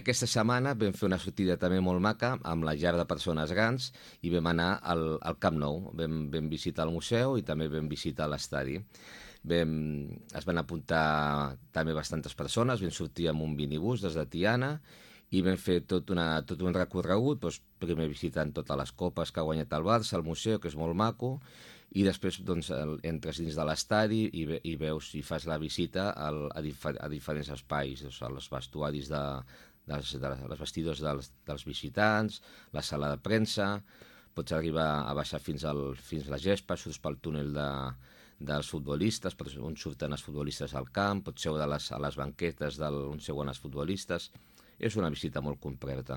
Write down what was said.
Aquesta setmana vam fer una sortida també molt maca amb la llar de persones grans i vam anar al Camp Nou. Vam visitar el museu i també vam visitar l'estadi. Es van apuntar també bastantes persones, vam sortir amb un minibús des de Tiana i vam fer tot un recorregut, doncs, primer visitant totes les copes que ha guanyat el Barça, el museu, que és molt maco, i després doncs, entres dins de l'estadi i veus i fas la visita a diferents espais, doncs, als vestuaris dels vestidors dels visitants, la sala de premsa, pots arribar a baixar fins a la gespa, surts pel túnel dels futbolistes, on surten els futbolistes al camp, pots seure a les banquetes on seuen els futbolistes. És una visita molt completa.